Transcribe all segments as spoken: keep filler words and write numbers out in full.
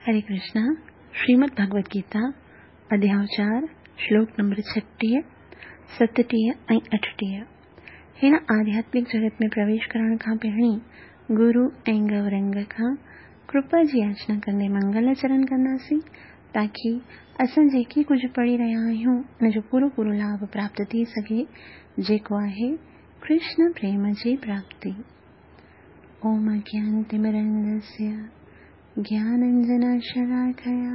हरे कृष्णा। श्रीमद् भगवद गीता अध्याय चार श्लोक नंबर छटीह, सतटीह ऐं अठटीह। हिन आध्यात्मिक जगत में प्रवेश करण खां पहिरीं गुरु ऐं गौरंग खां कृपा जी याचना कंदे मंगलाचरण कंदासीं ताकी असां जेकी कुझु पढ़ी रहिया आहियूं उनजो पूरो पूरो लाभ प्राप्त थी सघे, जेको आहे कृष्ण प्रेम जी प्राप्ति। ओम अज्ञानतिमिरन्धस्य ज्ञानाञ्जनशलाकया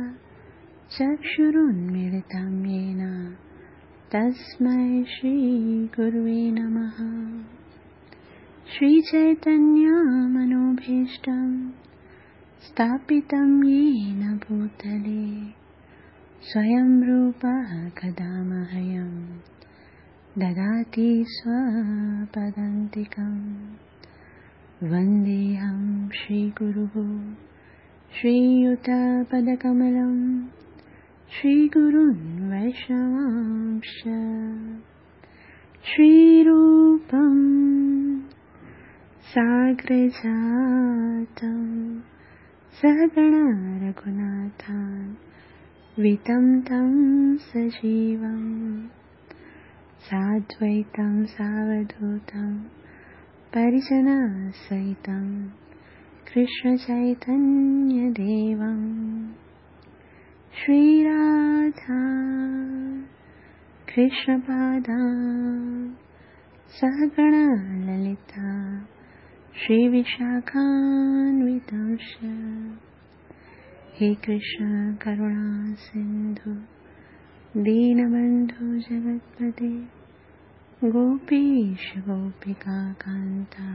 चक्षुरुन्मीलितं येन तस्मै श्रीगुरुवे नमः। श्रीचैतन्यमनोभीष्टं स्थापितं येन भूतले स्वयं रूपः कदा मह्यं ददाति स्वपदान्तिकं। वन्देऽहं श्रीगुरुः श्रीयुतपदकमलं श्रीगुरुन् वैष्णवांश्च। श्रीरूपं साग्रजातं सहगण रघुनाथान्वितं तं सजीवं साद्वैतं सावधूतं परिजनसहितं कृष्णचैतन्यदेवं। श्रीराधा कृष्णपादा सहगण ललिता श्रीविशाखान्वितांश्च। हे कृष्ण करुणा सिन्धु दीनबन्धु जगत्पते गोपीश गोपिका कान्ता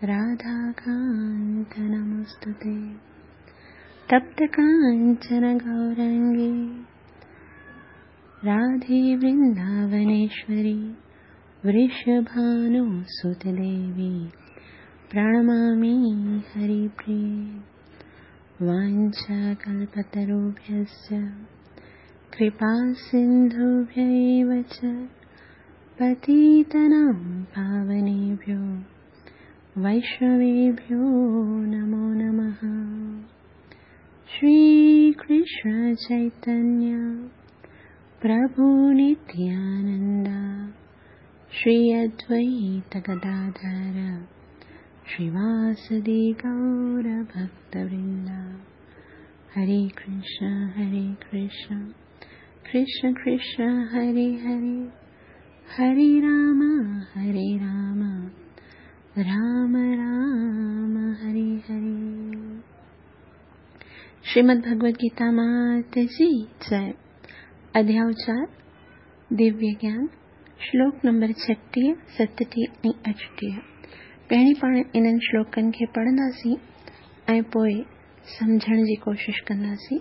राधाकान्त नमोस्तुते। तप्त काञ्चन गौरङ्गी राधे वृन्दावनेश्वरी वृषभानुसुते देवी प्रणमामि हरिप्रिये। वाञ्छाकल्पतरुभ्यश्च कृपासिन्धुभ्य एव च पतितानां पावनेभ्यो वैष्णवेभ्यो नमो नमः। श्रीकृष्ण चैतन्य प्रभु नित्यानन्द श्री अद्वैत गदाधर श्रीवासदि गौरभक्तवृन्द। हरे कृष्ण हरे कृष्ण कृष्ण कृष्ण हरे हरे, हरे राम हरे राम राम राम हरे हरे। श्रीमद् भगवद गीता मात जी जय। अध्याय चार दिव्य ज्ञान श्लोक नंबर छटीह, सतटीह ऐं अठटीह। पहिरीं पाण इन्हनि श्लोकनि खे पढ़ंदासीं ऐं पोइ सम्झण जी कोशिश कंदासीं।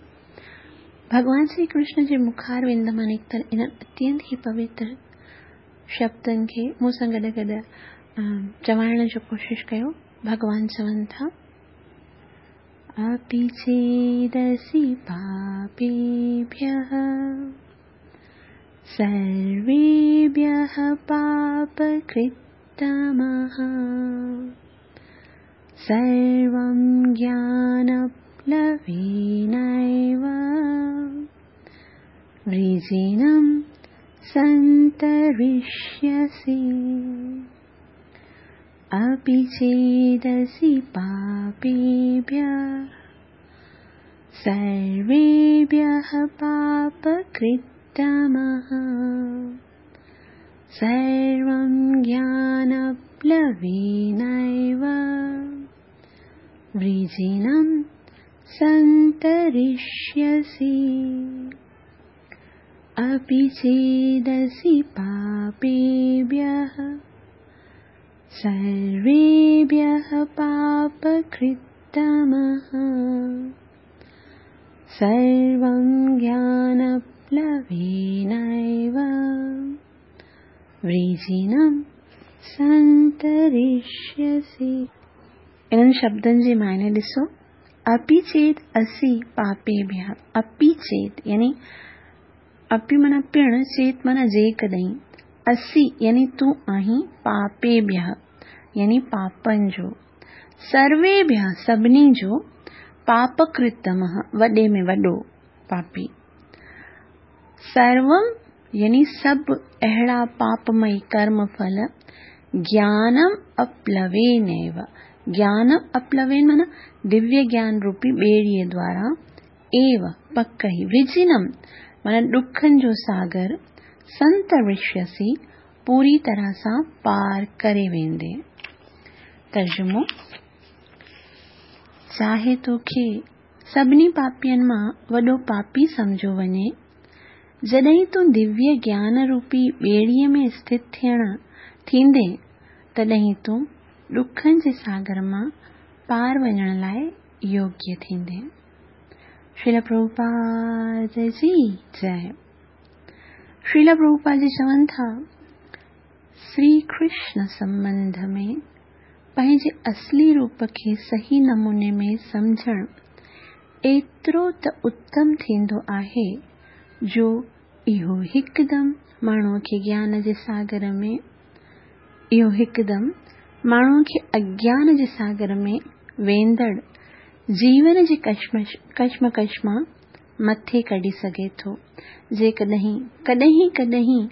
भॻवान श्री कृष्ण जे मुखारविंद मां निकितल इन्हनि अत्यंत ई पवित्र शब्दनि खे मूं सां गॾु गॾु चवाइण जो कोशिश कयो। भॻवान चवनि था, अपि चेदसि पापेभ्यः सर्वेभ्यः पापकृत्तमः सर्वं ज्ञानप्लवेनैव वृजिनं सन्तरिष्यसि। अपि चेदसि पापेभ्यः सर्वेभ्यः पापकृत्तमः सर्वं ज्ञानप्लवेनैव वृजिनं सन्तरिष्यसि। अपि चेदसि पापेभ्यः सर्वेभ्यः पापकृत्तमः सर्वं ज्ञानप्लवेनैव वृजिनं सन्तरिष्यसि। इन्हनि शब्दनि जे मायने ॾिसो, अपि चेत असि पापेभ्यः। अपि चेत यानी अपि माना पिण, चेत माना जेकॾहिं, असि यानी तूं आहीं, पापेभ्यः यानी पापनि जो, सर्वेभ्यः सभिनी जो, पापकृतमः वॾे में वॾो पापी। सर्वं यानी सभु अहिड़ा पापमयी कर्म फल ज्ञानम अप्लवेनैव, ज्ञानम अप्लवेन माना दिव्य ज्ञान रूपी ॿेड़ीअ द्वारा, एव पक ई, विजिनम माना ॾुखनि जो सागर, संतरिष्यसि पूरी तरह सां पार करे वेंदे। तर्जुमो, चाहे तोखे सभिनी पापियनि मां वॾो पापी सम्झो वञे, जॾहिं तूं दिव्य ज्ञान रूपी ॿेड़ीअ में स्थित थियण थींदे, तॾहिं तूं ॾुखनि जे सागर मां पार वञण लाइ योग्य थींदे। श्रील प्रभुपाद जी जय। श्रील प्रभुपाद जी चवनि था, श्री कृष्ण संबंध में पंहिंजे असली रूप खे सही नमूने में सम्झणु एतिरो त उत्तम थींदो आहे जो इहो हिकदमि माण्हूअ खे ज्ञान जे सागर में इहो हिकदमि माण्हूअ खे अज्ञान जे सागर में वेंदड़ जीवन जी कश्मकश मां मथे कढी सघे थो। जेकॾहिं कॾहिं कॾहिं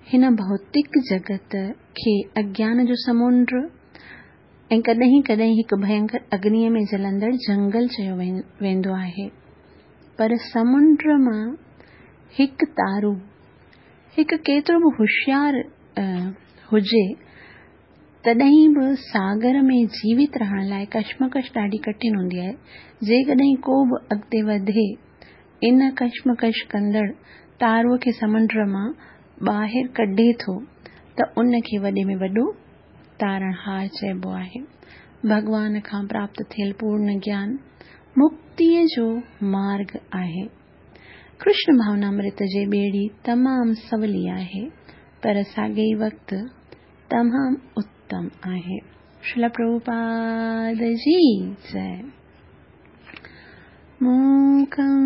हिन भौतिक जगत खे अज्ञान जो समुंड ऐं कॾहिं कॾहिं हिकु भयंकर अग्नीअ में जलंदड़ जंगल चयो वेंदो आहे, पर समुंड मां हिकु तारू हिकु केतिरो बि होशियार हुजे तॾहिं बि सागर में जीवित रहण लाइ कश्मकश ॾाढी कठिन हूंदी आहे। जेकॾहिं को बि अॻिते वधे इन कश्मकश कंदड़ तारूअ खे समुंड मां ॿाहिरि कढे थो त उनखे वॾे में वॾो तारणहार चइबो आहे। भॻवान खां प्राप्त थियल पूर्ण ज्ञान मुक्तीअ जो मार्ग आहे। कृष्ण भावनामृत जे ॿेड़ी तमामु सवली आहे, पर साॻे ई वक़्तु तमामु उत्तम आहे। श्रील प्रभुपाद जी जय। मूकं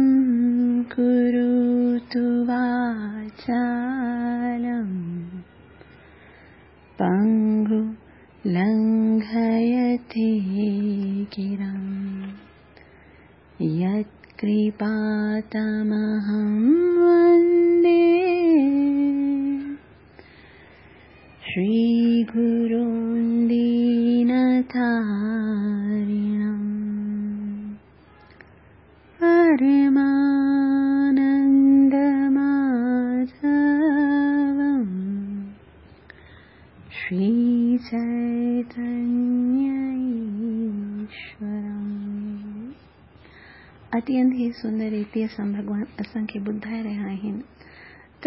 करोतु वाचालं पंगु लंघयते गिरं यत्कृपातमहं वन्दे श्रीगुरुं दीनतारिणं। परमानन्दमाधवं श्रीचैतन्य ईश्वरम्। अत्यंत ही सुंदर रीति सां भॻवान असांखे ॿुधाए रहिया आहिनि त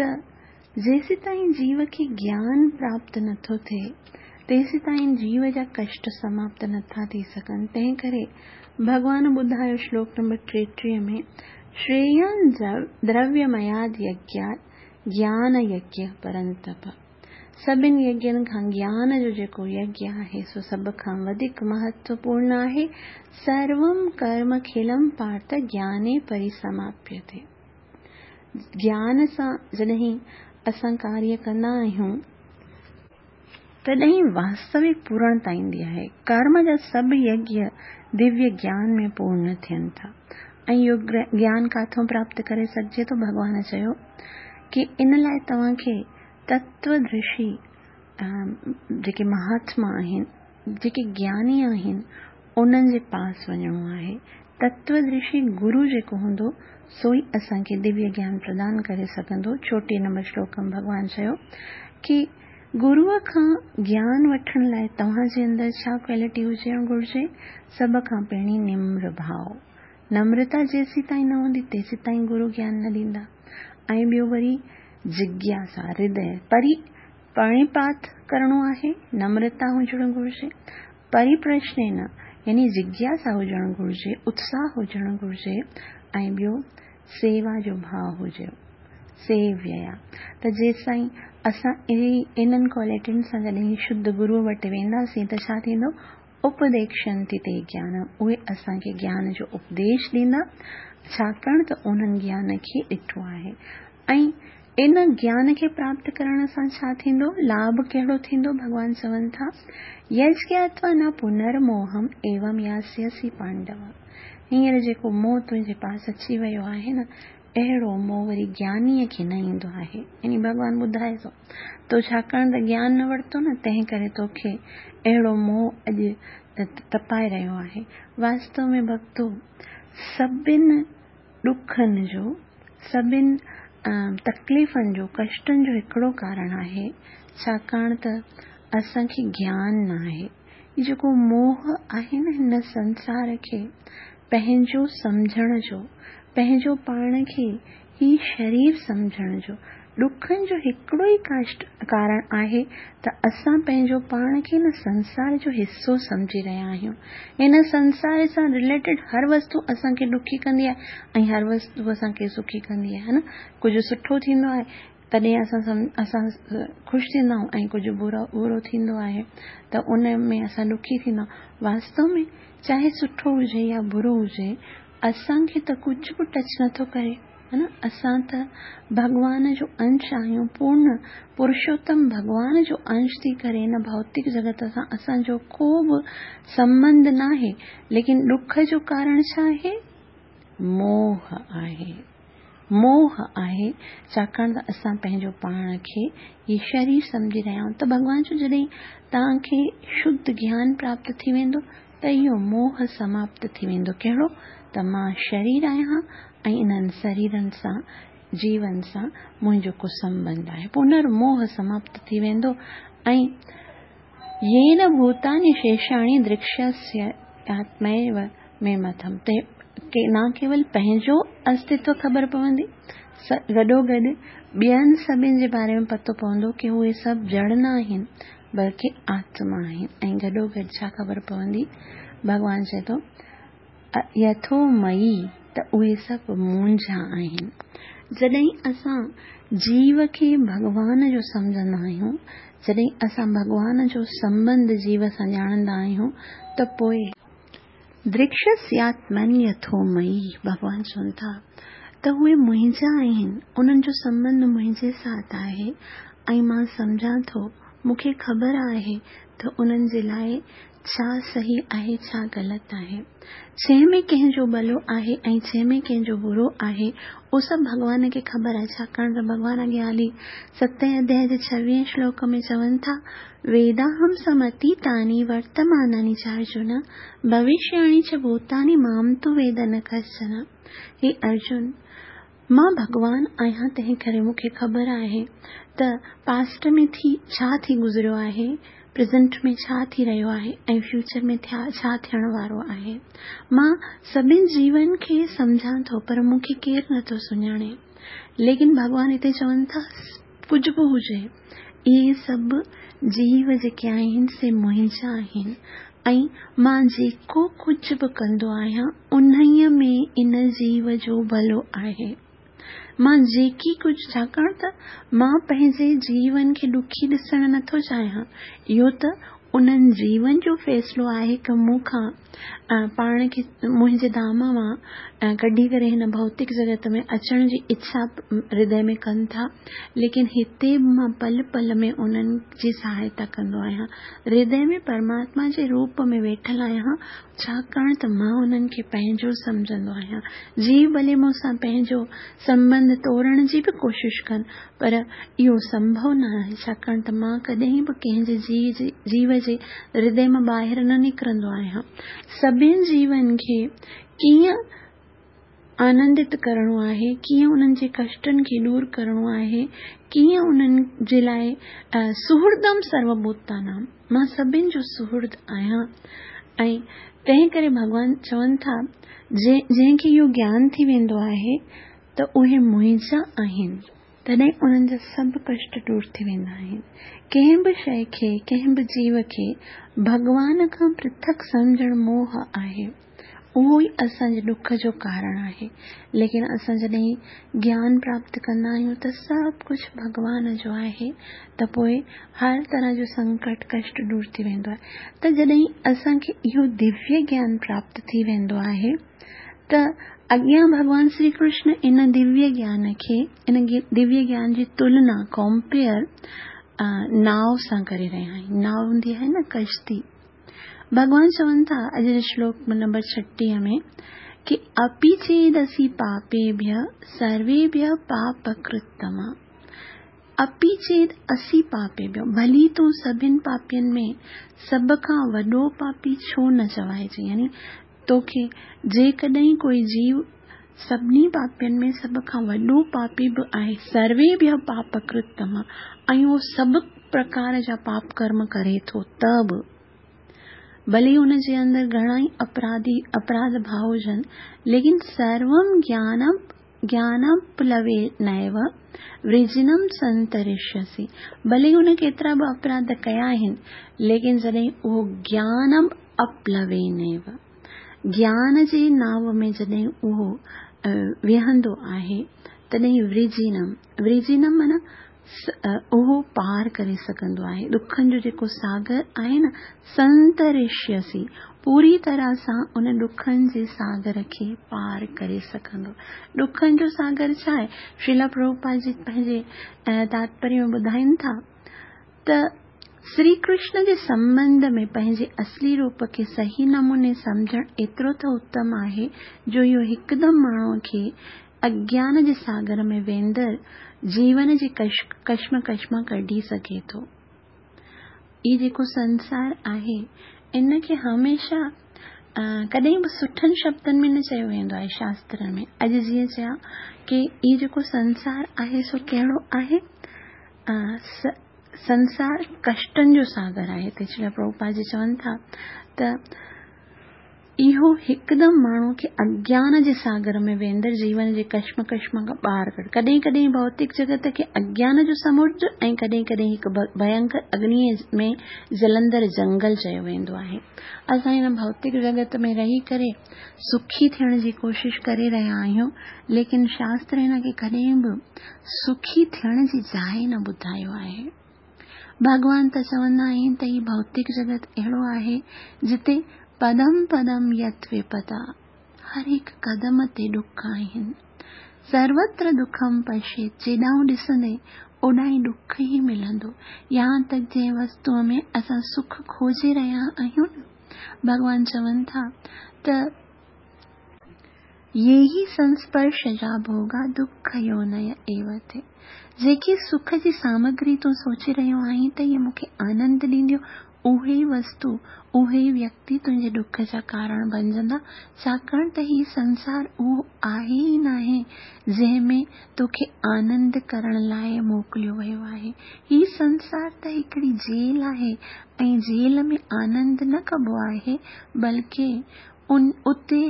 जेसीं ताईं जीव खे ज्ञान प्राप्त नथो थिए तेसीं ताईं जीव जा कष्ट समाप्त नथा थी सघनि। तंहिं करे भॻवान ॿुधायो श्लोक नंबर टेटीह में, श्रेयं द्रव्यमयाद यज्ञात् ज्ञान यज्ञ परंतप। सभिनि यज्ञनि खां ज्ञान जो जेको यज्ञ आहे सो सभ खां वधीक महत्वपूर्ण आहे। सर्वं कर्म खिलं पार्थ ज्ञाने परिसमाप्यते। ज्ञान सां जॾहिं असां कार्य कंदा आहियूं तॾहिं वास्तविक पूर्णता ईंदी आहे। कर्म जा सभु यज्ञ दिव्य ज्ञान में पूर्ण थियनि था। ऐं इहो ज्ञान काथों प्राप्त करे सघिजे थो? भॻवान चयो की इन लाइ तव्हांखे तत्वदर्शी जेके महात्मा आहिनि, जेके ज्ञानी आहिनि, उन्हनि जे पास वञिणो आहे। तत्वदर्शी गुरु जेको हूंदो सो ई असांखे दिव्य ज्ञान प्रदान करे सघंदो। चोटीह नंबर श्लोक में भॻवान चयो की गुरूअ खां ज्ञान वठण लाइ तव्हांजे अंदरि छा क्वालिटी हुजणु घुरिजे? सभ खां पहिरीं निम्र भाव। नम्रता जेसीं ताईं न हूंदी तेसीं ताईं गुरू ज्ञान न ॾींदा। ऐं ॿियो वरी जिज्ञासा, हृदय परी प्रणिपात करिणो आहे, नम्रता हुजणु घुरिजे। परिप्रश्न न यानी जिज्ञासा हुजणु घुरिजे, उत्साह हुजणु घुरिजे। ऐं ॿियो सेवा जो भाव हुजे, सेव्यया। त जेसिताईं असां इन्हनि क्वालिटियुनि सां जॾहिं शुद्ध गुरूअ वटि वेंदासीं त छा थींदो? उपदेक्षन्ति ते ज्ञान, उहे असांखे ज्ञान जो उपदेश ॾींदा, छाकाणि त उन्हनि ज्ञान खे ॾिठो आहे। ऐं इन ज्ञान खे प्राप्त करण सां छा थींदो? लाभ कहिड़ो थींदो? भॻवान चवनि था, यज्ञात्वा न पुनर्मोहम एवं यास्यसि पांडव। هينئر جيڪو موهه تنهنجي پاس اچي ويو آهي نه، اهڙو موهه وري گيانيء کي نه ايندو آهي. يعني ڀڳوان ٻڌائي ٿو، تو ڇاڪاڻ ته گيان نه ورتو نه، تنهن ڪري توکي اهڙو موهه اڄ تپائي رهيو آهي. واستو ۾ ڀڳتو، سڀن ڏکن جو، سڀن تڪليفن جو، ڪشٽن جو هڪڙو ڪارڻ آهي، ڇاڪاڻ ته اسان کي گيان نه آهي. هي جيڪو موهه آهي نه، هن سنسار کي پنهنجو سمجهڻ جو، پنهنجو پاڻ کي هي شرير سمجهڻ جو، ڏکن جو هڪڙو ئي ڪشٽ ڪارڻ آهي ته اسان پنهنجو پاڻ کي هن سنسار جو حصو سمجهي رهيا آهيون. هن سنسار سان رليٽيڊ هر وستو اسان کي ڏکي ڪندي آهي ۽ هر وستو اسان کي سکي ڪندي آهي، نه؟ ڪجهه سٺو ٿيندو آهي تڏهن اسان اسان خوش ٿيندا آهيون ۽ ڪجهه برو برو ٿيندو آهي ته ان ۾ اسان ڏکي ٿيندا آهيون. واستو ۾ چاهي سٺو هجي يا برو هجي، اسان کي ته ڪجهه به ٽچ نٿو ڪري، ها نه؟ اسان ته ڀڳوان جو انش آهيون، پورن پرشوتم ڀڳوان جو انش ٿي ڪري هن ڀوتڪ جڳت سان اسان جو ڪو به سنٻنڌ ناهي. ليڪن ڏک جو ڪارڻ ڇا آهي؟ موهه آهي. موهه آهي، ڇاڪاڻ ته اسان پنهنجو پاڻ کي هي شرير سمجهي رهيا آهيون. ته ڀڳوان چيو، جڏهن توهان کي شڌ گيان پراپت ٿي ويندو ته اهو موهه سماپت ٿي ويندو. ڪهڙو؟ ته مان شرير آهيان ۽ انهن شريرن سان، جيون سان منهنجو ڪو سنٻنڌ آهي. پنر موهه سماپت ٿي ويندو ۽ يين ڀوتاني شيشاڻي درڪشياسياتميو ۾ مٿم، ته نه ڪيول پنهنجو استتو خبر پوندي، گڏوگڏ ٻين سڀن جي باري ۾ پتو پوندو ڪه اهي سڀ جڙ نه آهن بلڪه آتما آهن. ۽ گڏوگڏ ڇا خبر پوندي؟ ڀڳوان چئي ٿو يٿو مئي، ته اهي سڀ منهنجا آهن. جڏهن اسان جيو کي ڀڳوان جو سمجهندا آهيون، جڏهن اسان ڀڳوان جو سنٻنڌ جيو سان ڄاڻندا آهيون، ته پوءِ درڪشسياتمن يٿو مئي، ڀڳوان چون ٿا ته اهي منهنجا آهن، انهن جو سنٻنڌ منهنجي ساٿ آهي ۽ مان سمجهان ٿو، مون کي خبر آهي ته انهن جي لاءِ ڇا صحيح آهي، ڇا غلط آهي، ڇنهن ۾ ڪنهن جو ڀلو آهي ۽ ڇنهن ۾ ڪنهن جو برو آهي، اهو سڀ ڀڳوان کي خبر آهي. ڇاڪاڻ ته ڀڳوان اڳيان هلي ستين اڌياءِ جي ڇويهين شلوڪ ۾ چون ٿا، ويداهم سمتيتاني ورتماناني چ ارجن ڀوشياڻي چ ڀوتاني مام تو ويد نه ڪشچن. هي ارجن، مان ڀڳوان آهيان، تنهن ڪري مون کي خبر آهي ته پاسٽ ۾ ٿي ڇا ٿي گذريو آهي، پريزنٽ ۾ ڇا ٿي رهيو آهي ۽ فيوچر ۾ ٿيا ڇا ٿيڻ وارو آهي. مان سڀن جيون کي سمجهان ٿو، پر مون کي ڪير نٿو سڃاڻي. ليڪن ڀڳوان هتي چون ٿا، ڪجهه به هجي، اهي سڀ جيو جيڪي آهن سي منهنجا آهن ۽ مان جيڪو ڪجهه به ڪندو آهيان انهيءَ ۾ ان جيو جو ڀلو آهي. مان جيڪي ڪجهه، ڇاڪاڻ ته مان پنهنجي جيون کي ڏکي ڏسڻ نٿو چاهيان، اهو ته انهن جيون جو فيصلو آهي ڪه مون کان پاڻ کي منهنجي ڌام مان ڪڍي ڪري هن ڀوتڪ جڳت ۾ اچڻ جي اڇا هردي ۾ ڪن ٿا، ليڪن هتي به مان پل پل ۾ انهن جي سهائتا ڪندو آهيان. هردي ۾ پرماتما جي روپ ۾ ويٺل آهيان، ڇاڪاڻ ته مان انهن کي پنهنجو سمجهندو آهيان. جيو ڀلي مون سان پنهنجو سنٻنڌ توڙڻ جي به ڪوشش ڪن، پر اهو سنڀو نه آهي، ڇاڪاڻ ته مان ڪڏهن به ڪنهن جي جيو جي هردي مان ٻاهر نه نڪرندو آهيان. سڀني جيون کي ڪيئن آنندت ڪرڻو آهي، ڪيئن انهن جي ڪشٽن کي دور ڪرڻو آهي، ڪيئن انهن جي لاءِ سهردم سروڀوتانام، مان سڀني جو سهرد آهيان. ۽ تنهن ڪري ڀڳوان چون ٿا، جنهن کي اهو گيان ٿي ويندو آهي ته اهي منهنجا آهن، تڏهن انهن جا سڀ ڪشٽ دور ٿي ويندا آهن. ڪنهن به شيءِ کي، ڪنهن به جيو کي ڀڳوان کان پرٿڪ سمجهڻ موهه آهي، اهو ئي اسان جي ڏک جو ڪارڻ آهي. ليڪن اسان جڏهن گيان پراپت ڪندا آهيون ته سڀ ڪجهه ڀڳوان جو آهي، ته پوءِ هر طرح جو سنڪٽ ڪشٽ دور ٿي ويندو آهي. ته جڏهن اسان کي اهو دويه گيان پراپت ٿي ويندو آهي ته اڳيان ڀڳوان شري ڪرشن ان دويه گيان کي، ان دويه گيان جي تلنا، ڪمپيئر ناو سان ڪري رهيا آهن. ناو هوندي آهي نه، ڪشتي. ڀڳوان چون ٿا اڄ جي شلوڪ نمبر ڇٽيهه ۾ ڪه अपि चेदसि पापेभ्यः सर्वेभ्यः पापकृत्तमः। अपि चेद असि पापेभ्यः, भली तूं सभिनि पापियुनि में सभ खां वॾो पापी छो न चवाइजे। यानी तोखे जेकॾहिं कोई जीव सभिनी पापियुनि में सभ खां वॾो पापी बि आहे, सर्वेभ्यः पापकृत्तमः, ऐं उहो सभु प्रकार जा पाप कर्म करे थो त बि भले उनजे अंदरि घणा ई अपराधी अपराध भाव हुजनि, लेकिन सर्वं ज्ञानम ज्ञानप्लवेनैव वृजिनं संतरिष्यसि। भले हुन केतिरा बि अपराध कया आहिनि, लेकिन जॾहिं उहो ज्ञानम अप्लवेनैव, ज्ञान जे नाव में जॾहिं उहो विहंदो आहे तॾहिं वृजिनम, वृजिनम माना उहो पार करे सघंदो आहे। ॾुखनि जो जेको सागर आहे न, संतरिष्यसि, पूरी तरह सां उन ॾुखनि जे सागर खे पार करे सघंदो। ॾुखनि जो सागर छा आहे? श्रीला प्रभुपाद जी पंहिंजे तात्पर्य में ॿुधाइनि था त श्री कृष्ण जे संबंध में पंहिंजे असली रूप खे सही नमूने सम्झणु एतिरो त उत्तम आहे जो इहो हिकदमि माण्हूअ खे अज्ञान जे सागर में वेंदड़ जीवन जे कश कश्मकश मां कढी सघे थो। इहो जेको संसार आहे इन खे हमेशह कॾहिं बि सुठनि शब्दनि में न चयो वेंदो आहे शास्त्रनि में। अॼु जीअं चया की इहो जेको संसार आहे सो कहिड़ो आहे? संसार कष्टनि जो सागर आहे। त श्रील प्रभुपाद जी चवनि था त इहो हिकदमि माण्हू खे अज्ञान जे सागर में वेंदड़ जीवन जे कश्मकश मां ॿाहिरि कढ। कॾहिं कॾहिं भौतिक जगत खे अज्ञान जो समुंड ऐं कॾहिं कॾहिं हिकु भयंकर अग्नीअ में जलंदड़ जंगल चयो वेंदो आहे। असां हिन भौतिक जगत में रही करे सुखी थियण जी कोशिशि करे रहिया आहियूं, लेकिन शास्त्र हिन खे कॾहिं बि सुखी थियण जी जाइ न ॿुधायो आहे। भॻवान त चवंदा आहिनि त हीउ भौतिक जगत अहिड़ो आहे जिते पदम पदम यत विपदा, हर हिकु कदम ते ॾुख आहिनि। सर्वत्र दुखम पश्येत, जेॾां ॾिसंदे ओॾां ई ॾुख ई मिलंदो। यहाँ तक जंहिं वस्तूअ में असां सुख खोजे रहिया आहियूं न, भॻवान चवनि था त ये ही संस्पर्श जा भोगा दुख योनय एव ते। जेकी सुख जी सामग्री तूं सोचे रहियो आहीं त इहे मूंखे आनंद ॾींदियूं, उहे ई वस्तु उहे ई व्यक्ति तुंहिंजे ॾुख जा कारण बणजंदा, छाकाणि त हीउ संसार उहो आहे ई नाहे जंहिंमें तोखे आनंद करण लाइ मोकिलियो वियो आहे। हीउ संसार त हिकिड़ी जेल आहे ऐं जेल में आनंद न कबो आहे, बल्कि उन उते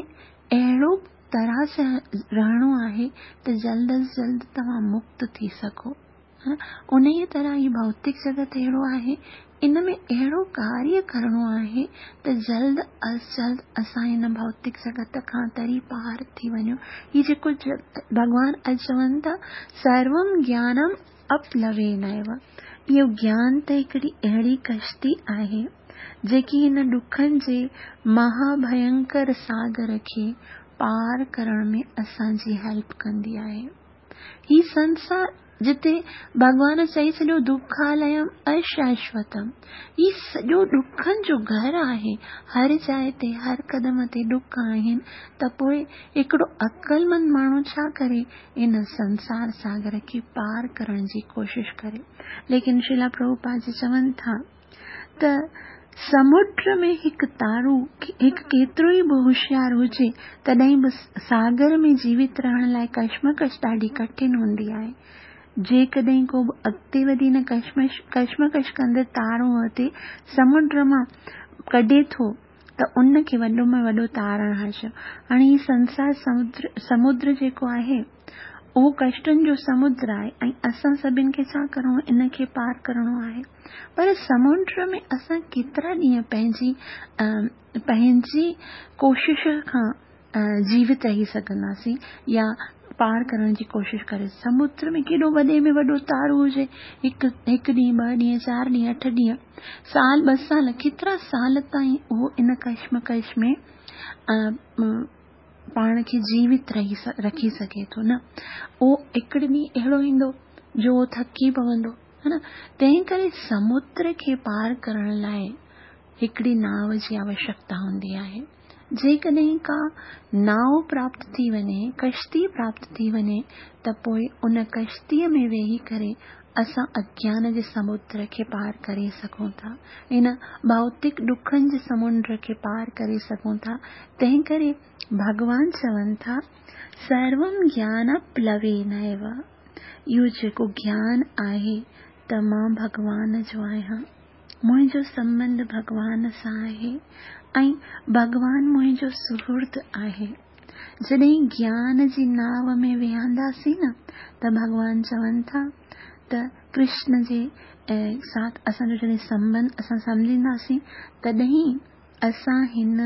अहिड़ो तरह सां रहणो आहे त जल्द अज़ जल्द तव्हां मुक्त थी सघो। उन ई तरह हीउ भौतिक जगत अहिड़ो आहे, इन में अहिड़ो कार्य करिणो आहे त जल्द अज़ जल्द असां हिन भौतिक जगत खां तरी पार थी वञूं। हीउ जेको भॻवान अॼु चवनि था सर्वं ज्ञानम अप्लवेनैव, इहो ज्ञान त हिकिड़ी अहिड़ी कश्ती आहे जेकी हिन ॾुखनि जे महाभयंकर सागर खे पार करण में असांजी हेल्प कंदी आहे। हीउ संसार जिते भॻवान चई छॾियो दुखालयम अशाश्वतम, हीउ सॼो ॾुखनि जो घर आहे। हर जाइ ते हर कदम ते ॾुख आहिनि, त पोइ हिकिड़ो अक़लमंद माण्हू छा करे? इन संसार सागर खे पार करण जी कोशिशि करे। लेकिन श्रीला प्रभुपाद जी चवनि था त समुंड में हिकु तारू हिकु केतिरो ई बि होशियार हुजे तॾहिं बि सागर में जीवित रहण लाइ कश्मकश ॾाढी कठिन हूंदी आहे। जेकॾहिं को बि अॻिते वधी हिन कश्मश कश्मकश कंदड़ तारो ते समुंड मां कढे थो त उनखे वॾो में वॾो तारण चयो। हाणे हीउ संसार समुद्र समुद्र जेको आहे उहो कष्टनि जो समुद्र आहे ऐं असां सभिनि खे छा करिणो आहे? इन खे पार करिणो आहे। पर समुंड में असां केतिरा ॾींहं पंहिंजी पंहिंजी कोशिश खां जीवित रही सघंदासीं या पार करण जी कोशिशि करे। समुद्र में केॾो वॾे में वॾो तारो हुजे, हिकु हिकु ॾींहुं, ॿ ॾींहं, चारि ॾींहं, अठ ॾींहं, साल ॿ साल, केतिरा साल ताईं उहो इन कश्मकश में पाण खे जीवित रही रखी सघे थो न। उहो हिकिड़े ॾींहुं अहिड़ो ईंदो जो उहो थकी पवंदो, है न। तंहिं करे समुद्र खे पार करण लाइ हिकिड़ी नाव जी आवश्यकता हूंदी आहे। जेकॾहिं का नाव प्राप्त थी वञे, कश्ती प्राप्त थी वञे, त पोइ उन कश्तीअ में वेही करे असां अज्ञान जे समुद्र खे पार करे सघूं था, इन भौतिक ॾुखनि जे समुंड खे पार करे सघूं था। तंहिं करे भॻवान चवनि था सर्वं ज्ञान प्लवेनैव, इहो जेको ज्ञान आहे त मां भॻवान जो आहियां, मुंहिंजो संबंध भॻवान सां आहे ऐं भॻवान मुंहिंजो सुहृद आहे। जॾहिं ज्ञान जी नाव में वेहंदासीं न त भॻवान चवनि था त कृष्ण जे साथ असांजो जॾहिं संबंध असां सम्झींदासीं तॾहिं असां हिन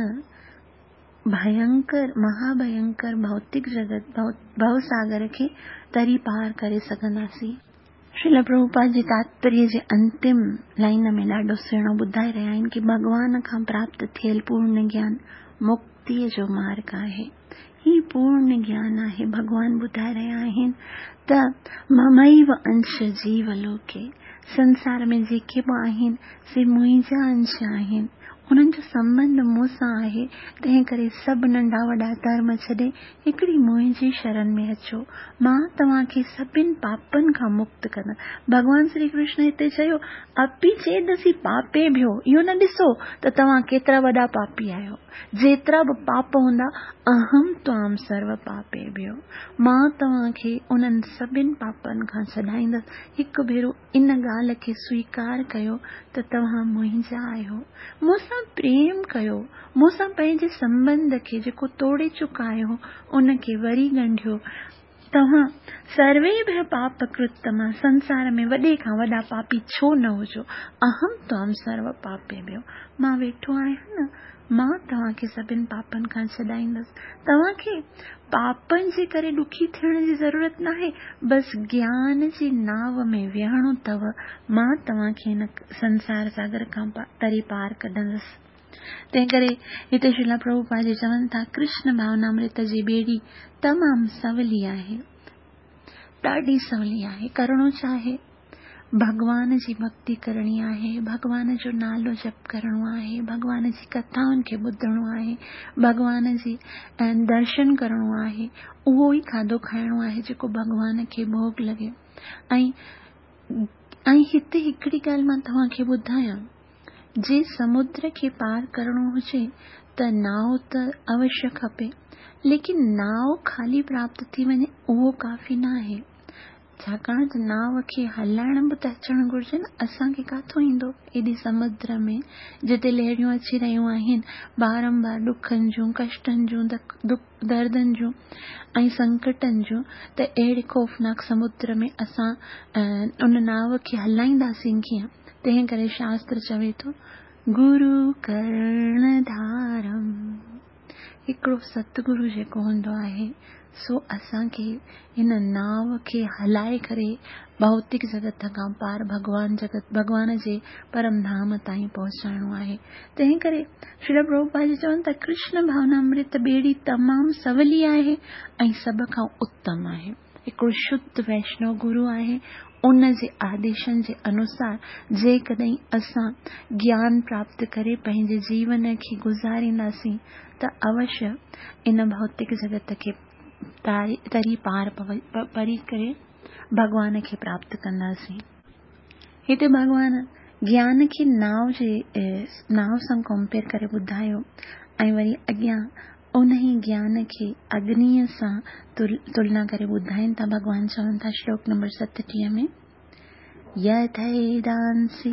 भयंकर महाभयंकर भौतिक जगत भवसागर खे तरी पार करे सघंदासीं। श्रील प्रभुपाद जी तात्पर्य जे अंतिम लाइन में ॾाढो सुहिणो ॿुधाए रहिया आहिनि की भॻवान खां प्राप्त थियल पूर्ण ज्ञान मुक्तीअ जो मार्ग आहे। ही पूर्ण ज्ञान आहे। भॻवान ॿुधाए रहिया आहिनि त ममैव अंश जीवलोके, संसार में जेके बि आहिनि से मुंहिंजा अंश आहिनि, उन्हनि जो संबंध मूं सां आहे, तंहिं करे सभु नंढा वॾा धर्म छॾे हिकिड़ी मुंहिंजी शरण में अचो, मां तव्हांखे सभिनि पापनि खां मुक्त कंदुसि। भॻवान श्री कृष्ण हिते चयो अपि चेदसि पापेभ्यो, इहो न ॾिसो त तव्हां केतिरा वॾा पापी आहियो, जेतिरा बि पाप हूंदा अहम त्वाम सर्व पापेभ्यो, मां तव्हांखे उन्हनि सभिनि पापनि खां छॾाईंदुसि। हिकु भेरो इन ॻाल्हि खे स्वीकार कयो त तव्हां मुंहिंजा आहियो, मूंसां प्रेम कयो, मूंसां पंहिंजे संबंध खे जेको तोड़े चुका आहियो उनखे वरी ॻंढियो। तव्हां सर्वेभ्यः पापकृत्तमा, संसार में वॾे खां वॾा पापी छो न हुजो, अहम त्वाम सर्व पापेभ्यो, मां वेठो आहियां न, मां तव्हांखे सभिनि पापनि खां छॾाईंदुसि। तव्हांखे पापनि जे करे ॾुखी थियण जी ज़रूरत न आहे, बसि ज्ञान जी नाव में वेहणो अथव, मां तव्हांखे हिन संसार सागर खां तरी पार कढंदुसि। तंहिं करे हिते श्रील प्रभुपाद जी चवनि था कृष्ण भावनामृत जी ॿेड़ी तमामु सवली आहे, ॾाढी सवली आहे। करिणो छा आहे? भॻवान जी भक्ति करणी आहे, भॻवान जो नालो जप करिणो आहे, भॻवान जी कथाउनि खे ॿुधणो आहे, भॻवान जी दर्शन करिणो आहे, उहो ई खाधो खाइणो आहे जेको भॻवान खे भोग लॻे। ऐं ऐं हिते हिकिड़ी ॻाल्हि मां तव्हांखे ॿुधायां, जे समुद्र खे पार करिणो हुजे त नाव त अवश्य खपे, लेकिन नाव खाली प्राप्त थी वञे उहो काफ़ी न आहे, छाकाणि त नाव खे हलाइण बि त अचणु घुरिजे न। असांखे काथों ईंदो एॾी समुद्र में जिते लहरियूं अची रहियूं आहिनि, बारंबार ॾुखनि जूं, कष्टनि जूं, दर्दनि जूं ऐं संकटनि जूं, त अहिड़े ख़ौफ़नाक समुद्र में असां उन नाव खे हलाईंदासीं कीअं? तंहिं करे शास्त्र चवे थो गुरु कर्णधारम, हिकिड़ो सतगुरु जेको हूंदो आहे सो असांखे हिन नाव खे हलाए करे भौतिक जगत खां पार भॻवान जगत भॻवान जे परम धाम ताईं पहुचाइणो आहे। तंहिं करे श्रील प्रभुपाद जी चवनि था कृष्ण भावनामृत ॿेड़ी तमामु सवली आहे ऐं सभ खां उत्तम आहे। हिकिड़ो शुद्ध वैष्णव गुरु आहे, उन जे आदेशनि जे अनुसार जेकॾहिं असां ज्ञान प्राप्त करे पंहिंजे जीवन खे गुज़ारींदासीं त अवश्य इन भौतिक जगत खे तरी पार परी करे भॻवान खे प्राप्त कंदासीं। हिते भॻवान ज्ञान खे नाव जे नाव सां कंपेयर करे ॿुधायो ऐं वरी अॻियां उन ई ज्ञान खे अग्नीअ सां तुलना करे ॿुधाइनि था। भॻवान चवनि था श्लोक नंबर सतटीह में, यथैदांसि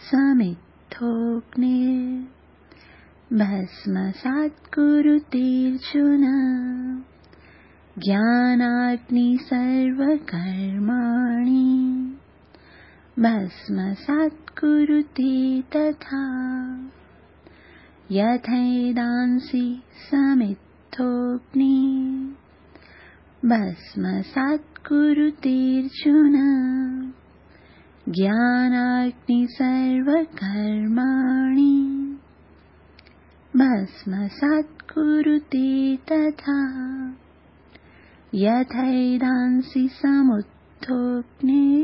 समिद्धोऽग्निर् भस्मसात् कुरुतेऽर्जुन ज्ञानाग्नि सर्वकर्माणि भस्मसात् कुरुते तथा। यथैदांसि समिद्धोऽग्निः भस्मसात् कुरुतेऽर्जुन ज्ञानाग्नि सर्वकर्माणि भस्मसात् कुरुते तथा। यथैदांसि समुद्धोऽग्निः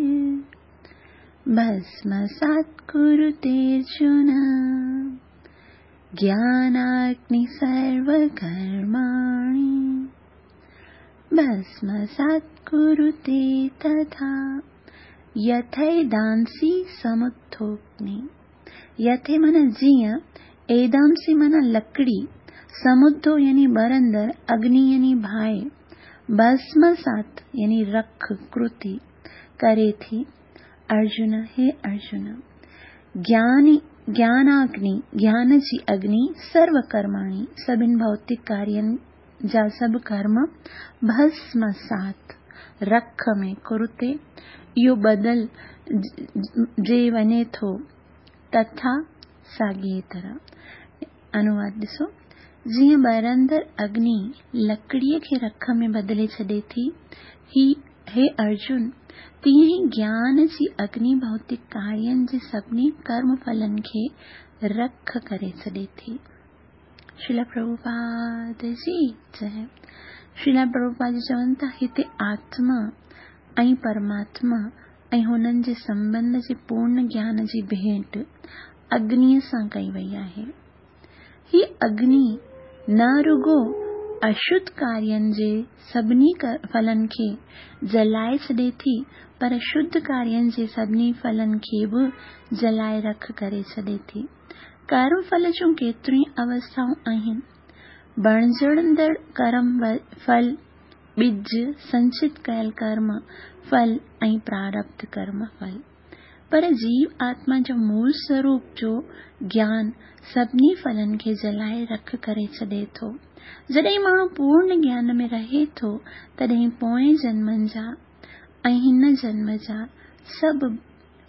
भस्मसात् कुरुतेऽर्जुन ज्ञानाग्नि सर्वकर्माणि भस्मसात् कुरुते तथा। यथैदांसि समुद्धोऽग्नि। यथे माना जीअं, ऐदांसि माना लकड़ी, समुद्धो यानी ॿरंदड़, अग्नि यानी बाहि, भस्मसात यानी रख कृति करे थी। अर्जुन हे अर्जुन, ज्ञानी ज्ञानाग्नि ज्ञान जी अग्नि सर्वकर्माणि सभिनि भौतिक कार्यनि जा सभु कर्म भस्मसात रख में कुरुते इहो बदल जे वञे थो तथा साॻी तरह। अनुवाद ॾिसो, जीअं ॿरंदड़ अग्नि लकड़ीअ खे रख में बदिले छॾे थी, ही हे अर्जुन, तीअं ई ज्ञान जी अग्नि भौतिक कार्यनि जे सभिनी कर्म फलनि खे रख करे छॾे थी। श्रील प्रभुपाद जी जय। श्रील प्रभुपाद जी चवनि था हिते आत्मा ऐं परमात्मा ऐं हुननि जे संबंध जे पूर्ण ज्ञान जी भेंट अग्निअ सां कई वई आहे। ही अग्नि न रुगो अशुद्ध कार्यनि जे सभिनी फलनि खे जलाए छॾे थी, पर शुद्ध कार्यनि जे सभिनी फलनि खे बि जलाए रख करे छॾे थी। कर्म फल जूं केतिरियूं ई अवस्थाऊं आहिनि। बणिजंदड़ कर्म फल, ॿिज, संचित कयल कर्म फल ऐं प्रारब्ध कर्म फल। पर जीव आत्मा जो मूल स्वरूप जो ज्ञान सभिनी फलनि खे जलाए रख करे छॾे थो। जॾहिं माण्हू पूर्ण ज्ञान में रहे थो, तॾहिं पोएं जन्मनि जा ऐं हिन जन्म जा सभु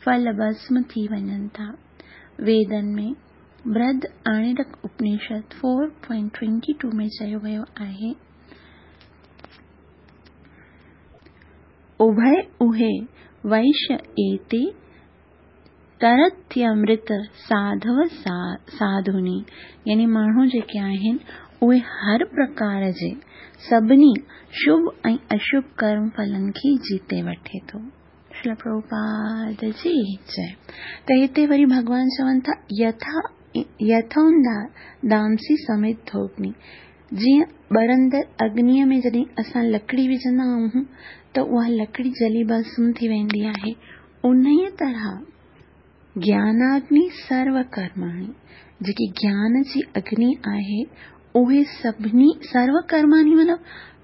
फल भस्म थी वञनि था। वेदनि में Brihadaranyaka Upanishad four point twenty two में चयो वियो आहे, उभय उहे वैश्य एते तरत्यमृत साधव सा, साधुनी। यानी माण्हू जेके आहिनि उहे हर प्रकार जे सभिनी शुभ ऐं अशुभ कर्म फलनि खे जीते वठे थो। श्रील प्रभुपाद जी जय। त हिते वरी भॻवान चवनि था यथा यथोदांसि समिद्धोऽग्नि। जीअं ॿरंदड़ अग्निअ में जॾहिं असां लकड़ी विझंदा आहियूं त उहा लकड़ी जली भस्म थी वेंदी आहे, उन्हीअ तरह ज्ञानाग्नि सर्वकर्माणि जेकी ज्ञान जी अग्नि आहे उहे सभिनी सर्वकर्माणि माना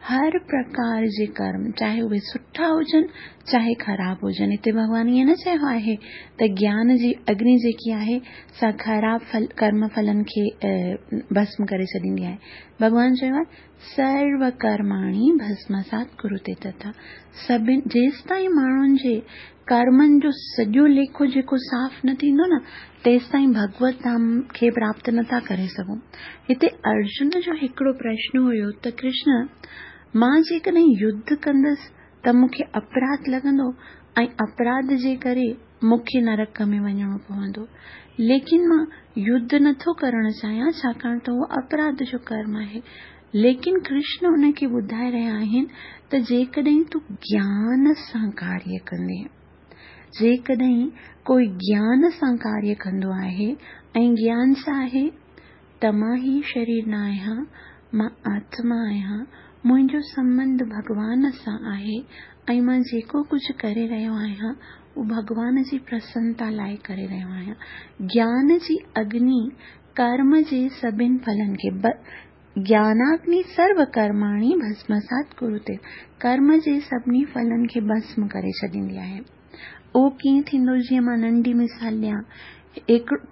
हर प्रकार जे कर्म, चाहे उहे सुठा हुजनि चाहे ख़राब हुजनि। हिते भॻवान ईअं न चयो आहे त ज्ञान जी अग्नि जेकी आहे सा ख़राब फल कर्म फलनि खे भस्म करे छॾींदी आहे। भॻवान चयो आहे सर्वकर्माणि भस्मसात् कुरुते तथा। सभिनि जेसि ताईं माण्हुनि जे कर्मनि जो सॼो लेखो जेको साफ़ न थींदो न, तेसि ताईं भगवत धाम खे प्राप्त नथा करे सघूं। हिते अर्जुन जो हिकिड़ो प्रश्न हुयो त कृष्ण, मां जेकॾहिं युद्ध कंदसि त मूंखे अपराध लॻंदो ऐं अपराध जे करे मूंखे नरक में वञिणो पवंदो, लेकिन मां युद्ध नथो करणु चाहियां छाकाणि त उहो अपराध जो कर्म आहे। लेकिन कृष्ण उनखे ॿुधाए रहिया आहिनि त जेकॾहिं तूं ज्ञान सां कार्य कंदे, जेकॾहिं कोई ज्ञान सां कार्य कंदो आहे ऐं ज्ञान छा आहे त मां ही शरीर न आहियां, मां आत्मा आहियां, मुंहिंजो संबंध भॻवान सां आहे ऐं मां जेको कुझु करे रहियो आहियां उहो भॻवान जी प्रसन्नता लाइ करे रहियो आहियां। ज्ञान जी अग्नि कर्म जे सभिनि फलनि खे, ज्ञानाग्नि सर्वकर्माणि भस्मसात् कुरुते, कर्म जे सभिनी फलनि खे भस्म करे छॾींदी आहे। उहो कीअं थींदो? जीअं मां नंढी मिसाल ॾियां,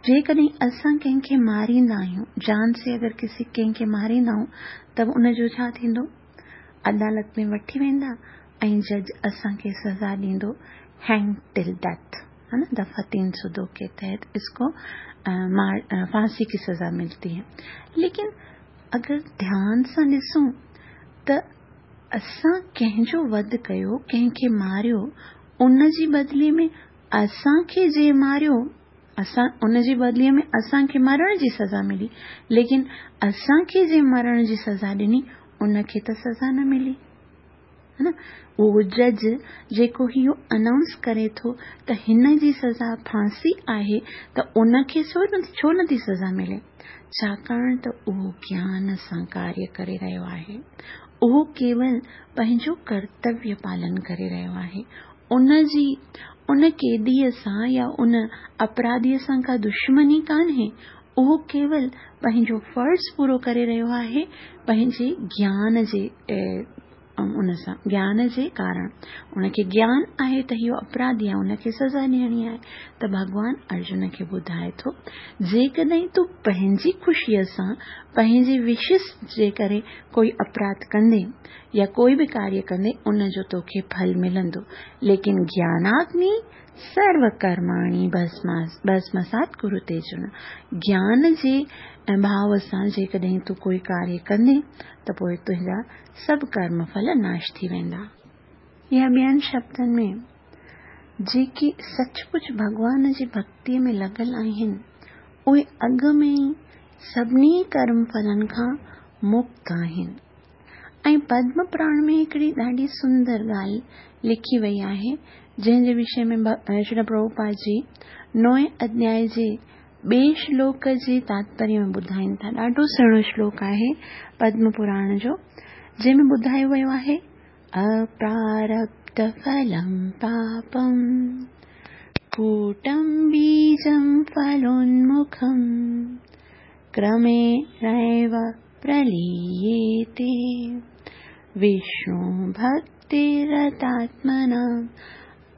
जेकॾहिं असां कंहिंखे मारींदा आहियूं, जान से अगरि किसी कंहिंखे मारींदा आहियूं त उनजो छा थींदो? अदालत में वठी वेंदा ऐं जज असांखे सज़ा ॾींदो हैंग टिल डेथ, है ना, दफा तीन सौ दो के तहत इसको मार फांसी की सज़ा मिलती है। लेकिन अगरि ध्यान सां ॾिसूं त असां कंहिंजो वध कयो, कंहिंखे मारियो, उन जी बदिले में असांखे जे मारियो, असां उन जी बदिले में असांखे मरण जी सज़ा मिली, लेकिन असांखे जे मरण जी सज़ा ॾिनी उनखे त सज़ा न मिली। हा न? उहो जज जेको इहो अनाउंस करे थो त हिन जी सज़ा फांसी आहे त उनखे छो नथी सज़ा मिले? छाकाणि त उहो ज्ञान सां कार्य करे रहियो आहे, उहो केवल पंहिंजो कर्तव्य पालन करे रहियो आहे। उन जी उन कैदीअ सां या उन अपराधीअ सां का दुश्मनी कान्हे, उहो केवल पंहिंजो फ़र्ज़ पूरो करे रहियो आहे पंहिंजे ज्ञान जे उन सां, ज्ञान जे कारण। उनखे ज्ञान आहे त इहो अपराधी आहे, उनखे सज़ा ॾियणी आहे। त भॻवान अर्जुन खे ॿुधाए थो, जेकॾहिं तूं पंहिंजी ख़ुशीअ सां पंहिंजी विशिस जे करे कोई अपराध कंदे या कोई बि कार्य कंदे, उन जो तोखे फल मिलंदो, लेकिन ज्ञानाग्नि सर्व कर्माणि भस्मसात् कुरुते अर्जुन। ज्ञान जे भाव सां जेकॾहिं तूं कोई कार्य कंदे त पोइ तुंहिंजा सभु कर्म फल नाश थी वेंदा। या ॿियनि शब्दनि में, जेके सचमुच भॻवान जी भक्तीअ में लॻल आहिनि, उहे अॻु में ई सभिनी कर्म फलनि खां मुक्त आहिनि। ऐं पद्म पुराण में हिकिड़ी ॾाढी सुंदर ॻाल्हि लिखी वई आहे, जंहिंजे विषय में श्री प्रभुपाद जी नोए अध्याय जे ॿिए श्लोक जे तात्पर्य में ॿुधाइनि था। ॾाढो सुहिणो श्लोक आहे पद्म पुराण जो, जंहिंमें ॿुधायो वियो आहे, अप्रारब्ध फलं पापं कूटं बीजं फलोन्मुखं क्रमेणैव प्रलीयेते विष्णु भक्तिरतात्मना।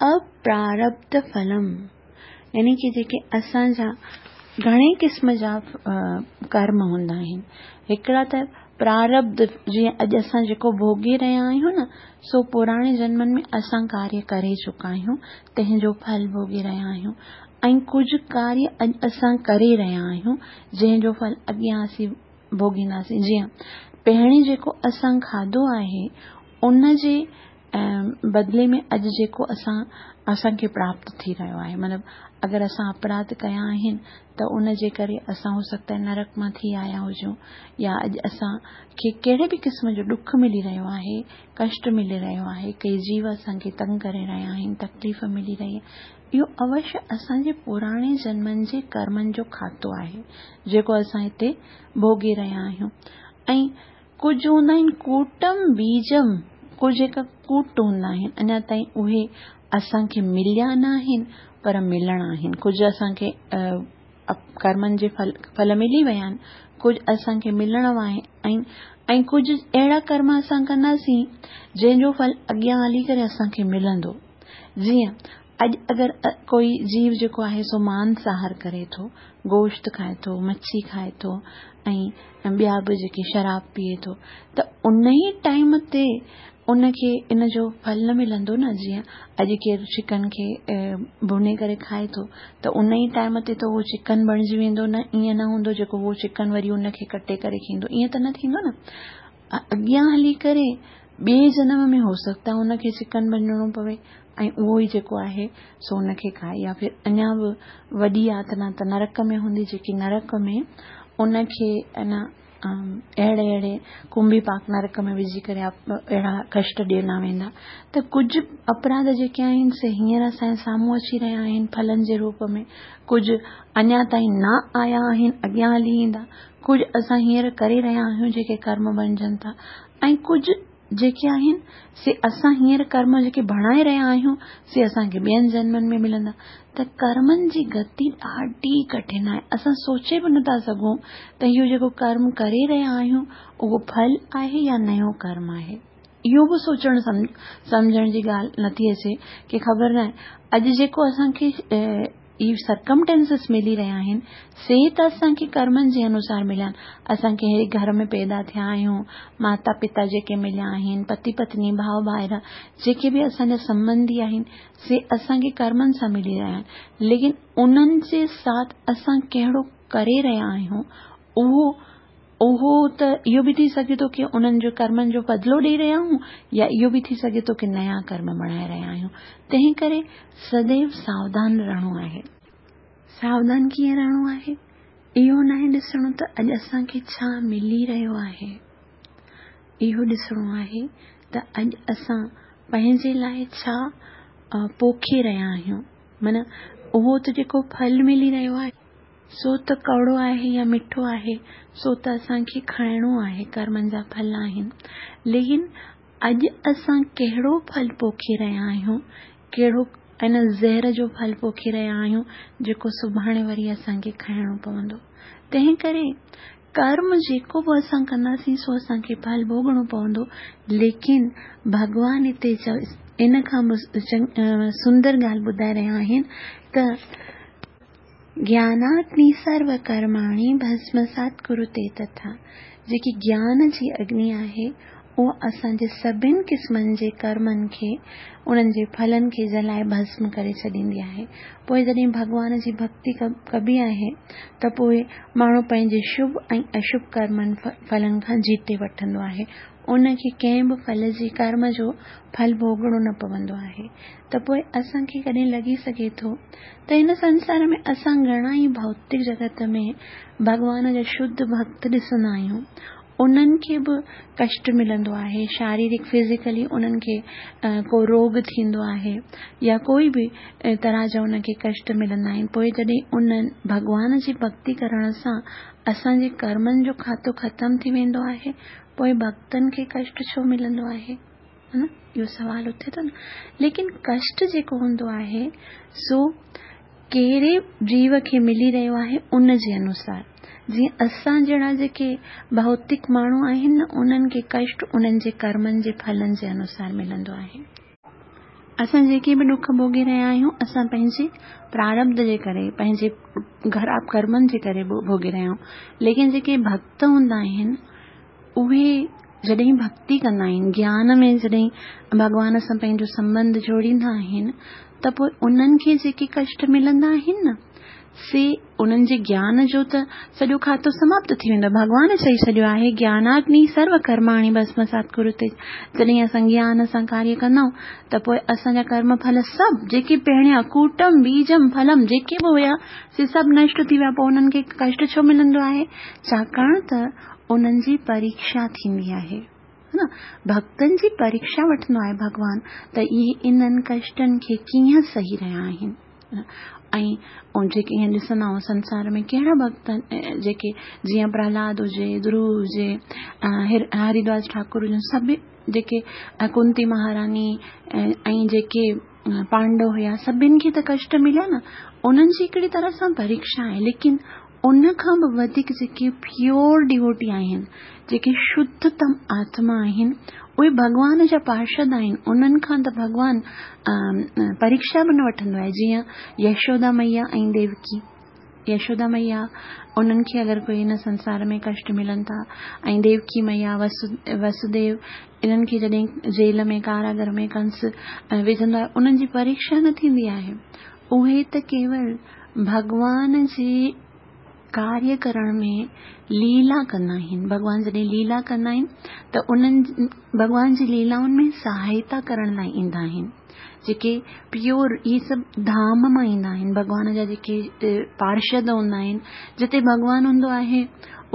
अप्रारब्ध फलम यानी कि जेके असांजा घणे क़िस्म जा कर्म हूंदा आहिनि, हिकिड़ा त प्रारब्ध, जीअं अॼु असां जेको भोगे रहिया आहियूं न, सो पुराणे जन्मनि में असां कार्य करे चुका आहियूं, तंहिंजो फल भोगे रहिया आहियूं। ऐं कुझु कार्य अॼु असां करे रहिया आहियूं जंहिंजो फल अॻियां असीं भोगींदासीं। जीअं पहिरीं जेको असां खाधो आहे उन जे बदिले में अॼु जेको असां असांखे प्राप्त थी रहियो आहे, मतिलबु अगरि असां अपराध कया आहिनि त उन जे करे असां हो सकता है नरक मां थी आया हुजूं, या अॼु असांखे कहिड़े बि क़िस्म जो ॾुख मिली रहियो आहे, कष्ट मिली रहियो आहे, कई जीव असांखे तंग करे रहिया आहिनि, तकलीफ़ मिली रही आहे, इहो अवश्य असांजे पुराणे जन्मनि जे कर्मनि जो खातो आहे जेको असां हिते भोगे रहिया आहियूं। ऐं कुझु हूंदा आहिनि कूटम बीजम, कुझु जेका कूट हूंदा आहिनि अञा ताईं उहे असांखे मिलिया न आहिनि पर मिलणा आहिनि। कुझु असांखे कर्मनि जे फल फल मिली विया आहिनि, कुझु असांखे मिलण आहिनि, ऐं कुझु अहिड़ा कर्म असां कंदासीं जंहिंजो फल अॻियां हली करे असांखे मिलंदो। जीअं अॼु अगरि कोई जीव जेको आहे सो मांसाहार करे थो, गोश्त खाए थो, मच्छी खाए थो ऐं ॿिया बि जेके शराब पीए थो, त उन ई टाइम ते उनखे इन जो फल न मिलंदो न। जीअं अॼु केरु चिकन खे भुने करे खाए थो त उन ई टाइम ते त उहो चिकन बणिजी वेंदो न, ईअं न हूंदो जेको उहो चिकन वरी उनखे कटे करे खींदो, ईअं त न थींदो न। अॻियां हली करे ॿिए जनम में हो सकता है उनखे चिकन बणिजणो पवे ऐं उहो ई जेको आहे सो उनखे खाए, या फिर अञा बि वॾी यातना त नरक में हूंदी, जेकी नरक में उनखे अना अहिड़े अहिड़े कुंभी पाक नरक में विझी करे अहिड़ा कष्ट ॾिना वेंदा। त कुझु अपराध जेके आहिनि से हींअर असांजे साम्हूं अची रहिया आहिनि फलनि जे रूप में, कुझु अञा ताईं न आया आहिनि, अॻियां हली ईंदा, कुझु असां हींअर करे रहिया आहियूं जेके कर्म बणिजनि था, ऐं कुझु जेके आहिनि से असां हींअर कर्म जेके बणाए रहिया आहियूं से असांखे ॿियनि जन्मनि में मिलंदा। त कर्मनि जी गति ॾाढी कठिन आहे, असां सोचे बि नथा सघूं त इहो जेको कर्म करे रहिया आहियूं उहो फल आहे या नयो कर्म आहे। इहो बि सोचणु सम्झण जी ॻाल्हि नथी अचे की ख़बर न आहे अॼु जेको असांखे इहे सर्कमटेंसिस मिली रहिया आहिनि से त असांखे कर्मनि जे अनुसार मिलिया आहिनि। असांखे अहिड़े घर में पैदा थिया आहियूं, माता पिता जेके मिलिया आहिनि, पति पत्नी, भाउ भाइर जेके बि असांजा संबंधी आहिनि से असांखे कर्मनि सां मिली रहिया आहिनि, लेकिन उन्हनि जे साथ असां कहिड़ो करे रहिया आहियूं उहो उहो त इहो बि थी सघे थो की उन्हनि जो कर्मनि जो बदिलो ॾेई रहिया आहियूं, या इहो बि थी सघे थो की नया कर्म बणाए रहिया आहियूं। तंहिं करे सदैव सावधान रहणो आहे। सावधान कीअं रहणो आहे? इहो नाहे ॾिसणो त अॼु असांखे छा मिली रहियो आहे, इहो ॾिसणो आहे त ته اڄ اسان پنهنجي لاءِ ڇا پوکي رهيا آهيون. معنيٰ اهو ته جيڪو ڦل ملي رهيو آهي سو ته ڪؤڙو آهي يا مٺو آهي، سو ته اسان کي کائڻو آهي، ڪرمن جا ڦل آهن. ليڪن اڄ اسان ڪهڙو ڦل پوکي رهيا آهيون، ڪهڙو ان زهر جو ڦل پوکي رهيا آهيون جيڪو سڀاڻي وري اسان کي کائڻو پوندو. تنهن ڪري ڪرم جيڪو به اسان ڪنداسين سو اسان کي ڦل ڀوڳڻو پوندو. ليڪن ڀڳوان هتي ان کان به سندر ڳالهه ٻڌائي رهيا آهن ته گياناگني سرو ڪرماڻي ڀسمسات ڪرتي تٿا. جيڪي گيان جي اگني آهي اها اسان جي سڀني قسمن جي ڪرمن کي، انهن جي ڦلن کي جلائي ڀسم ڪري ڇڏيندي آهي. پوءِ جڏهن ڀڳوان جي ڀڪتي ڪبي آهي ته پوءِ ماڻهو پنهنجي شڀ ۽ اشڀ ڪرمن ڦلن کان جيتي وٺندو آهي. ان کي ڪنهن به ڦل جي ڪرم جو ڦل ڀوڳڻو نه پوندو آهي. ته پوءِ اسان کي ڪڏهن لڳي سگهي ٿو ته هن سنسار ۾ اسان گهڻا ئي ڀوتڪ جڳت ۾ ڀڳوان جا شڌ ڀڪت ڏسندا آهيون، انهن کي به ڪشٽ ملندو آهي، شاريرڪ فزيڪلي انهن کي ڪو روڳ ٿيندو آهي يا ڪوئي به طرح جا ان کي ڪشٽ ملندا آهن. پوءِ جڏهن انهن ڀڳوان جي ڀڪتي ڪرڻ سان اسان جي ڪرمن جو کاتو ختم ٿي ويندو آهي، پوءِ ڀڪتن کي ڪشٽ ڇو ملندو آهي؟ نه اهو سوال اٿي ٿو نه. ليڪن ڪشٽ جيڪو هوندو آهي سو ڪهڙي جيو کي ملي رهيو آهي ان جي انوسار. جيئن اسان جهڙا جيڪي ڀوتڪ ماڻهو آهن انهن کي ڪشٽ انهن جي ڪرمن جي ڦلن جي انوسار ملندو آهي. اسان جيڪي به ڏک ڀوڳي رهيا آهيون اسان پنهنجي پراربڌ جي ڪري، پنهنجي خراب ڪرمن جي ڪري ڀوڳي رهيا آهيون. ليڪن جيڪي ڀڪت هوندا آهن اهي جڏهن ڀڪتي ڪندا آهن، گيان ۾ جڏهن ڀڳوان سان پنهنجو سنٻنڌ جوڙيندا آهن ته پوءِ انهن کي جيڪي ڪشٽ ملندا آهن نه سي انهن جي گيان جو ته سڄو کاتو سماپت ٿي ويندو آهي. ڀڳوان چئي ڇڏيو آهي گياناگني سرو ڪرماڻي ڀسمسات ڪرتي. جڏهن اسان گيان سان ڪاريه ڪندا آهيون ته پوءِ اسان جا ڪرم ڦل سڀ جيڪي پهريان ڪوٽم بيجم ڦلم جيڪي به هئا سي سڀ نشٽ ٿي ويا. پوءِ انهن کي ڪشٽ ڇو ملندو آهي؟ ڇاڪاڻ ته انهن جي پريڪشا ٿيندي آهي نه، ڀڪتن جي پريڪشا وٺندو آهي ڀڳوان ته اهي انهن ڪشٽن کي ڪيئن سهي رهيا آهن. ۽ جيڪي ائين ڏسندا آهيون سنسار ۾ ڪهڙا ڀڪت جيڪي جيئن پرهلاد هجي، ڌرو هجي، هرداس ٺاڪر هجن، سڀ جيڪي ڪنتي مهاراني ۽ جيڪي پانڊو هئا، سڀني کي ته ڪشٽ مليا نه. انهن جي هڪڙي طرح سان پريڪشا آهي. ليڪن ان کان به وڌيڪ جيڪي پيور ڊووٽي آهن، جيڪي شڌتم آتما آهن، اهي ڀڳوان جا پارشد آهن. انهن کان ته ڀڳوان پريڪشا به نه وٺندو آهي. جيئن يشودا مئيا ۽ ديوڪي. يشودا مئيا انهن کي اگر ڪوئي هن سنسار ۾ ڪشٽ ملن ٿا ۽ ديوڪي مئيا وسوديو انهن کي جڏهن جيل ۾ ڪاراگر ۾ ڪنس وجهندو آهي انهن جي پريڪشا نه ٿيندي آهي. اهي ته ڪيول ڀڳوان جي ڪاريه ڪرڻ ۾ ليلا ڪندا آهن. ڀڳوان جڏهن ليلا ڪندا آهن ته انهن ڀڳوان جي ليلائن ۾ سهائتا ڪرڻ لاءِ ايندا آهن. جيڪي پيور اهي سڀ ڌام مان ايندا آهن. ڀڳوان جا جيڪي پارشد هوندا آهن، جتي ڀڳوان هوندو آهي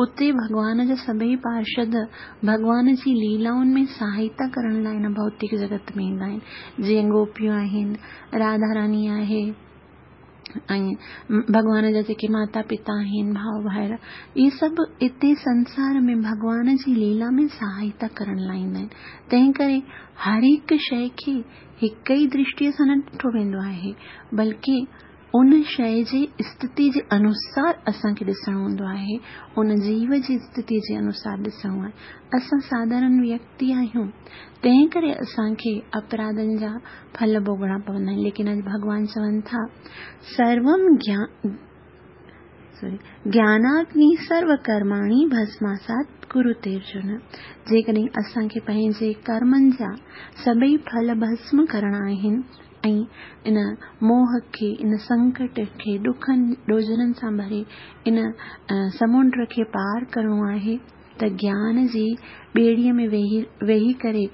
اتي ڀڳوان جا سڀئي پارشد ڀڳوان جي ليلائن ۾ سهائتا ڪرڻ لاءِ هن ڀوتڪ جڳت ۾ ايندا آهن. جيئن گوپيون آهن، راڌا راني آهي ۽ ڀڳوان جا جيڪي ماتا پتا آهن، ڀاءُ ڀائر، اهي سڀ هتي سنسار ۾ ڀڳوان جي ليلا ۾ سهائتا ڪرڻ لاءِ ايندا آهن. تنهن ڪري هر هڪ شيءِ کي هڪ ئي درشٽيءَ سان نه ڏٺو ويندو آهي، بلڪه ان شيءِ جي اسٿتي جي انوسار اسان کي ڏسڻو هوندو آهي، ان جيو جي اسٿتي جي انوسار ڏسڻو آهي. اسان ساڌارڻ ويڪتي آهيون، تنهن ڪري اسان کي اپراڌن جا ڦل ڀوڳڻا پوندا آهن. ليڪن اڄ ڀڳوان چون ٿا سروم گيان سوري گياناگني سرو ڪرماڻي ڀسماسات ڪرتي ارجن. جيڪڏهن اسان کي پنهنجي ڪرمن جا سڀئي ڦل ڀسم ڪرڻا آهن ۽ ان موهه کي، ان سنڪٽ کي، ڏکن ڏوجهرن سان ڀري ان سمنڊ کي پار ڪرڻو آهي ته گيان جي ٻيڙيءَ ۾ ويهي ويهي ڪري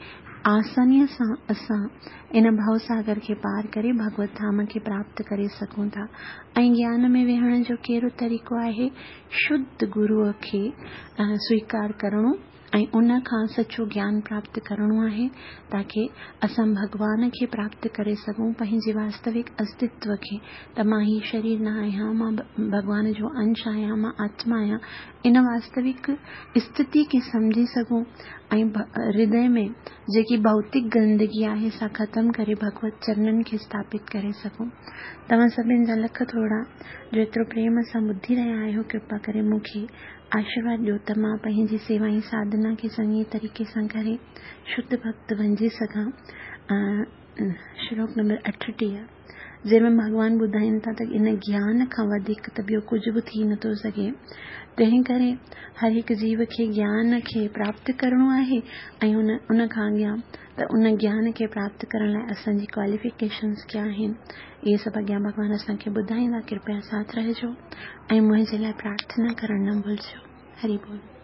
آسانيءَ سان اسان ان ڀوساگر کي پار ڪري ڀڳوت ڌام کي پراپت ڪري سگهون ٿا. ۽ گيان ۾ ويهڻ جو ڪهڙو طريقو آهي؟ شڌ گروءَ کي سويڪار ڪرڻو ۽ ان کان سچو گيان پراپت ڪرڻو آهي تاڪه اسان ڀڳوان کي پراپت ڪري سگهون، پنهنجي واستوڪ استتو کي، ته مان هي شرير نه آهيان، مان ڀڳوان جو انش آهيان، مان آتما آهيان. ان واستوڪ اسٿتي کي سمجهي سگهون ۽ هردي ۾ جيڪي ڀوتڪ گندگي آهي سا ختم ڪري ڀڳوت چرنن کي اسٿاپت ڪري سگهون. توهان سڀني جا لک ٿورا جو ايترو پريم سان ٻڌي رهيا آهيو. ڪرپا ڪري مون کي آشيرواد ڏيو ته مان پنهنجي سيوا ۽ ساڌنا کي چڱي طريقي سان ڪري شڌ ڀڳت بنجي سگهان. شلوڪ نمبر اٺٽيهه جنهن ۾ ڀڳوان ٻڌائين ٿا ته ان گيان کان وڌيڪ ته ٻيو ڪجهه به ٿي نٿو سگهي. تنهن ڪري هر هڪ جيو کي گيان کي پراپت ڪرڻو آهي ۽ ان ان کان اڳيان ته ان گيان کي پراپت ڪرڻ لاءِ اسان جي ڪواليفڪيشنس ڪيا آهن، اهي سڀ اڳيان ڀڳوان اسان کي ٻڌائيندا. ڪرپيا ساٿ رهجو ۽ منهنجي لاءِ پرارٿنا ڪرڻ نه ڀلجو. هري بول.